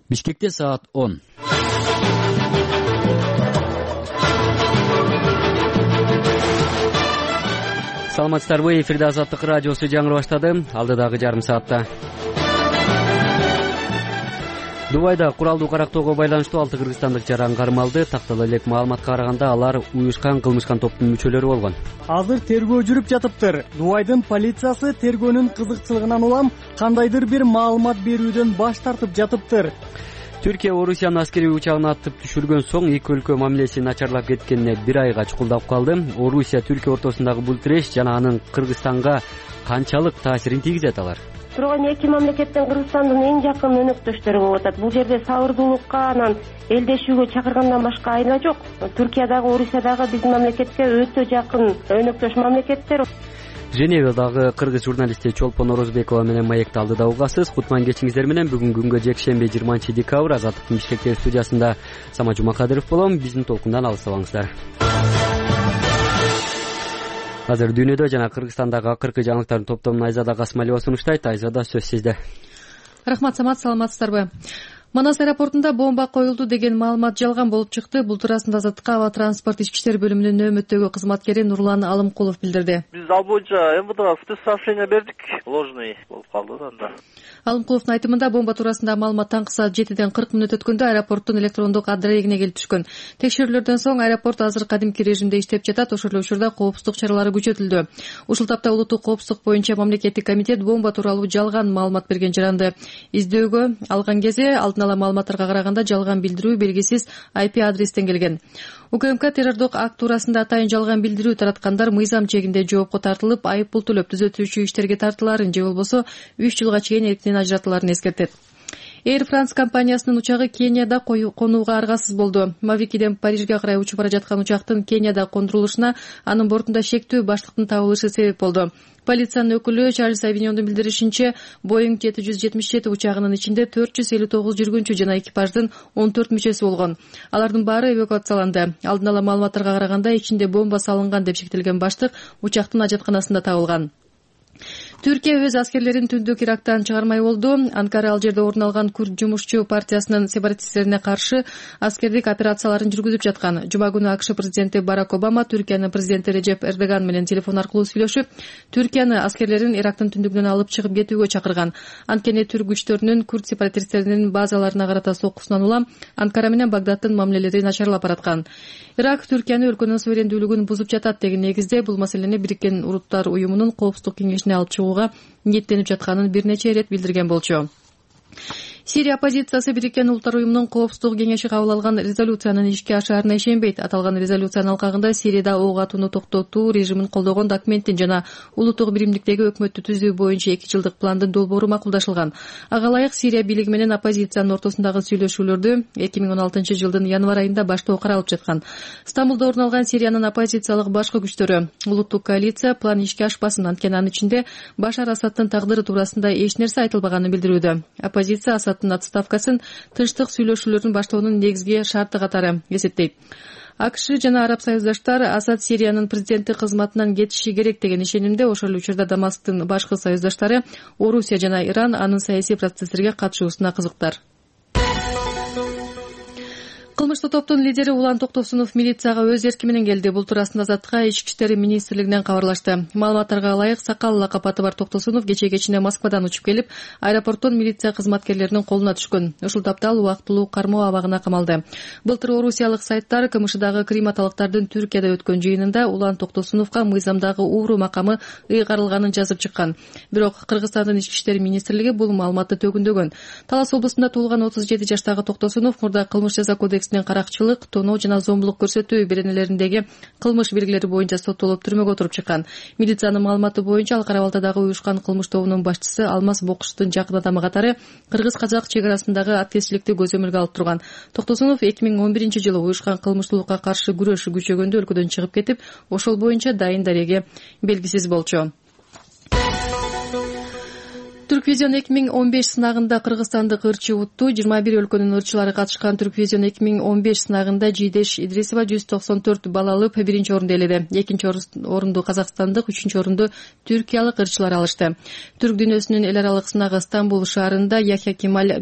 Бишкекте саат 10. Саламатсыздарбы? Эфирде Азаттык радиосу жаңы баштады. Алдыдагы жарым саатта Дубайда куралдуу карактоого байланыштуу 6 кыргызстандык жаран кармалды. Тактала элек маалыматка караганда алар уюшкан кылмышкан топтун мүчөлөрү болгон. Азыр тергөө жүрүп жатыптыр. Дубайдын полициясы тергөөнүн кызыкчылыгынан улам кандайдыр бир маалымат берүүдөн баш тартып жатыптыр. Түркия Орусиянын аскерий учагын атып түшүргөн соң эки өлкө мамилеси начарлап кеткенине бир айга чукулдап калды. Орусия Түркия ортосундагы бул тиреш жана анын Кыргызстанга канчалык таасирин тийгизет алар? Турган эки мамлекеттин Кыргызстандын эң жакын өнөктөштөрү болуп атат. Бул жерде сабырдуулукка, анан элдешүүгө чакыргандан башка айла жок. Түркия дагы, Орусия дагы биздин мамлекетке өтө жакын өнөктөш мамлекеттер. Женевадагы кыргыз журналисти Чолпон Орозбекова менен маекти алдыда угасыз. Кутман кечиңиздер менен бүгүн күнгө жекшемби 20-декабрь Азаттыктын Бишкектеги студиясында Самат Жумакадыров болом. Биздин толкундан алыстабаңыздар. Азыр дүйнөдө жана Кыргызстандагы акыркы жаңылыктардын топтомун Айзада Касымалиева сунуштайт. Айзада, сөз сизде. Рахмат, Самат, саламатсыздарбы? Манас аэропортунда бомба коюлду деген маалымат жалган болуп чыкты. Бул туурасында Азаттыкка аба транспорт ички иштер бөлүмүнүн нөөмөттөгү кызматкери Нурлан Алымкулов билдирди. Биз ал боюнча МВДга спецсообщение бердик. Ложный болуп калды анда. Алымкуловдун айтымында бомба туурасында маалымат таңкы саат 7ден 40 мүнөт өткөндө аэропорттун электрондук адрегине келип түшкөн. Текшерүүлөрдөн соң аэропорт азыр кадимки режимде иштеп жатат. Ошол эле учурда коопсуздук чаралары күчөтүлдү. Ушул тапта улуттук коопсуздук боюнча мамлекеттик комитет бомба тууралуу жалган маалымат берген жаранды издөөгө алган кезде алдын ала маалыматтарга караганда жалган билдирүү белгисиз IP адрестен келген. УКМК террордук акт туурасында атайын жалган билдирүү тараткандар мыйзам чегинде жоопко тартылып, айып пул төлөп түзөтүүчү иштерге тартылаарын же болбосо 3 жылга чейин эрктен ажыратылаарын эскертет. Air France компаниясынын учагы Кенияда конууга аргасыз болду. Мавикиден Парижге карай учуп бара жаткан учактын Кенияда кондурулушуна анын бортунда шектүү баштыктын табылышы себеп болду. Полициянын өкүлү Чарльз Авиньондун билдиришинче, Boeing 777 учагынын ичинде 459 жүргүнчү жана экипаждын 14 мүчөсү болгон. Алардын баары эвакуацияланды. Алдын ала маалыматтарга караганда ичинде бомба салынган деп шектелген баштык учактын ажатканасында табылган. Түркия өз аскерлерин түндүк Ирактан чыгармай болду. Анкара ал жерде орун алган Күрд жумушчу партиясынын сепаратисттерине каршы аскердик операцияларын жүргүзүп жаткан. Жума күнү АКШ президенти Барак Обама Түркиянын президенти Режеп Эрдоган менен телефон аркылуу сүйлөшүп, Түркияны аскерлерин Ирактын түндүгүнөн алып чыгып кетүүгө чакырган. Анткени түрк күчтөрүнүн Күрд сепаратисттеринин базаларына карата соккусунан улам Анкара менен Багдадтын мамилелери начарлап бараткан. Ирак Түркияны өлкөнүн суверендүүлүгүн бузуп жатат деген негизде бул маселени Бириккен Уруттар уюмунун коопсуздук кеңешине алып чыгууга ниеттенип жатканын бир нече ирет билдирген болчу. Сирия оппозициясы Бириккен Улуттар уюмунун коопсуздук кеңеши кабыл алган резолюциянын ишке ашаарына ишенбейт. Аталган резолюциянын алкагында Сирияда ок атууну токтотуу режимин колдогон документтин жана улуттук биримдиктеги өкмөттү түзүү боюнча 2 жылдык пландын долбоору макулдашылган. Ага ылайык Сирия бийлиги менен оппозициянын ортосундагы сүйлөшүүлөрдү 2016 жылдын январь айында баштоо каралып жаткан. Стамбулда орун алган Сириянын оппозициялык башкы күчтөрү улуттук коалиция план ишке ашпасын, анткени анын ичинде Башар Асадтын тагдыры туурасында эч нерсе айтылбаганын билдирүүдө. Оппозиция Асадтын отставкасын тынчтык сүйлөшүүлөрүн баштоонун негизги шарты катары эсептейт. АКШ жана араб союздаштар Асад Сириянын президенти кызматынан кетиши керек деген ишенимде. Ошол эле учурда Дамасктын башкы союздаштары Орусия жана Иран анын саясий процесстерге катышуусуна кызыктар. Кылмыштуу топтун лидери Улан Токтосунов милицияга өз эрки менен келди. Бул туурасында Азаттыкка Ички иштер министрлигинен кабарлашты. Маалыматтарга ылайык, Сакал лакап аты бар Токтосунов кече кечине Москвадан учуп келип, аэропорттон милиция кызматкерлеринин колуна түшкөн. Ушул тапта ал убактылуу кармоо абагына камалды. Былтыр орусиялык сайттар КМШдагы крематалыктардын Түркияда өткөн жыйынында Улан Токтосуновго мыйзамдагы ууру макамы ыйгарылганын жазып чыккан. Бирок Кыргызстандын Ички иштер министрлиги бул маалыматты төгүндөгөн. Талас облусунда туулган 37 жаштагы Токтосунов мурда кылмыш жаза кодексинин каракчылык, тоноо жана зомбулук көрсөтүү беренелериндеги кылмыш белгилери боюнча соттолуп түрмөгө отуруп чыккан. Милициянын маалыматы боюнча ал Кара Балтадагы уюшкан кылмыш тобунун башчысы Алмаз Бокуштун жакын адамы катары кыргыз-казак чек арасындагы аткечиликти көзөмөлгө алып турган. Токтосунов 2011 жылы уюшкан кылмыштуулукка каршы күрөш күчөгөндө өлкөдөн чыгып кетип, ошол боюнча дайын дареге белгисиз болчу. Түрквизион 2015 сынагында кыргызстандык ырчы утту. 21 өлкөнүн ырчылары катышкан Түрквизион 2015 сынагында Жийдеш Идрисова 194 балл алып, биринчи орунду ээледи. Экинчи орунду казакстандык, үчүнчү орунду түркиялык ырчылар алышты. Түрк дүйнөсүнүн эл аралык сынагы Стамбул шаарында Яхья Кемаль